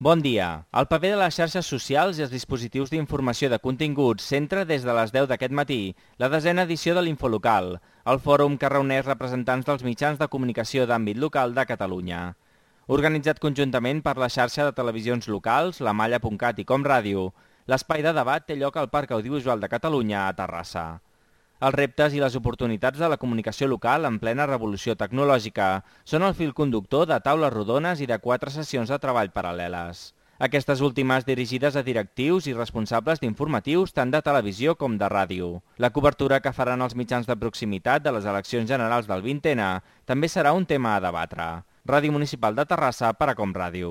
Bon dia. El paper de les xarxes socials i els dispositius d'informació de continguts centra des de les 10 d'aquest matí la 10a edició de l'Infolocal, el fòrum que reuneix representants dels mitjans de comunicació d'àmbit local de Catalunya. Organitzat conjuntament per la xarxa de televisions locals, la Malla.cat i Com Ràdio, l'espai de debat té lloc al Parc Audiovisual de Catalunya a Terrassa. Els reptes i les oportunitats de la comunicació local en plena revolució tecnològica són el fil conductor de taules rodones i de 4 sessions de treball paral·leles. Aquestes últimes dirigides a directius i responsables d'informatius tant de televisió com de ràdio. La cobertura que faran els mitjans de proximitat de les eleccions generals del 20N també serà un tema a debatre. Ràdio Municipal de Terrassa per a Com Ràdio.